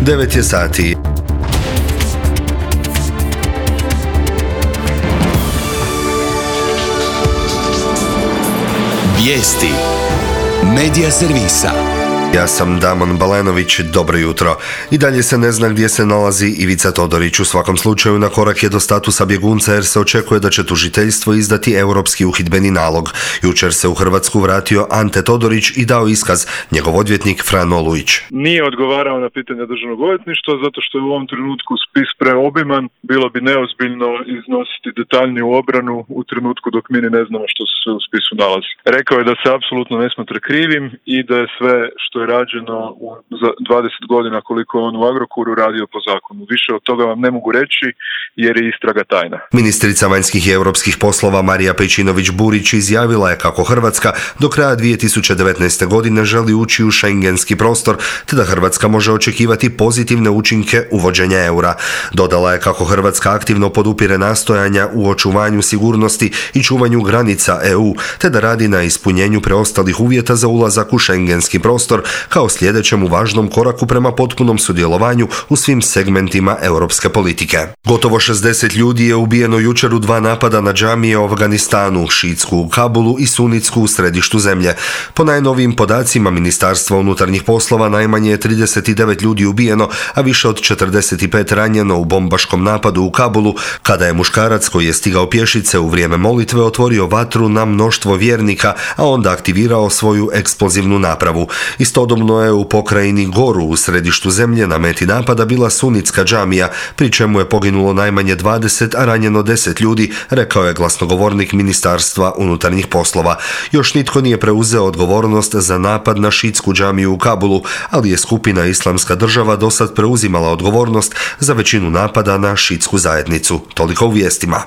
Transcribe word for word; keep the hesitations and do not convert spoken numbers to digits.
devet je sati. Vijesti Medija servisa. Ja sam Damon Balenović, dobro jutro. I dalje se ne zna gdje se nalazi Ivica Todorić. U svakom slučaju na korak je do statusa bjegunca jer se očekuje da će tužiteljstvo izdati europski uhidbeni nalog. Jučer se u Hrvatsku vratio Ante Todorić i dao iskaz, njegov odvjetnik Fran Olujić. Nije odgovarao na pitanja državnog odvjetništva zato što je u ovom trenutku spis preobiman. Bilo bi neozbiljno iznositi detaljniju obranu u trenutku dok mi ne znamo što se sve u spisu nalazi. Rekao je da se apsolutno ne smatra krivim i da je sve što je rađeno u dvadeset godina koliko je on u Agrokoru radio po zakonu. Više od toga vam ne mogu reći jer je istraga tajna. Ministrica vanjskih i europskih poslova Marija Pejčinović-Burić izjavila je kako Hrvatska do kraja dvije tisuće devetnaeste. godine želi ući u šengenski prostor, te da Hrvatska može očekivati pozitivne učinke uvođenja eura. Dodala je kako Hrvatska aktivno podupire nastojanja u očuvanju sigurnosti i čuvanju granica E U, te da radi na ispunjenju preostalih uvjeta za ulazak u šengenski prostor kao sljedećem važnom koraku prema potpunom sudjelovanju u svim segmentima europske politike. Gotovo šezdeset ljudi je ubijeno jučer u dva napada na džamije u Afganistanu, šiitsku u Kabulu i sunitsku u središtu zemlje. Po najnovijim podacima Ministarstva unutarnjih poslova najmanje je trideset devet ljudi ubijeno, a više od četrdeset pet ranjeno u bombaškom napadu u Kabulu, kada je muškarac koji je stigao pješice u vrijeme molitve otvorio vatru na mnoštvo vjernika, a onda aktivirao svoju eksplozivnu napravu. Istodobno je u pokrajini Goru u središtu zemlje na meti napada bila sunitska džamija, pri čemu je poginulo najmanje dvadeset, a ranjeno deset ljudi, rekao je glasnogovornik Ministarstva unutarnjih poslova. Još nitko nije preuzeo odgovornost za napad na šiitsku džamiju u Kabulu, ali je skupina Islamska država dosad preuzimala odgovornost za većinu napada na šiitsku zajednicu. Toliko u vijestima.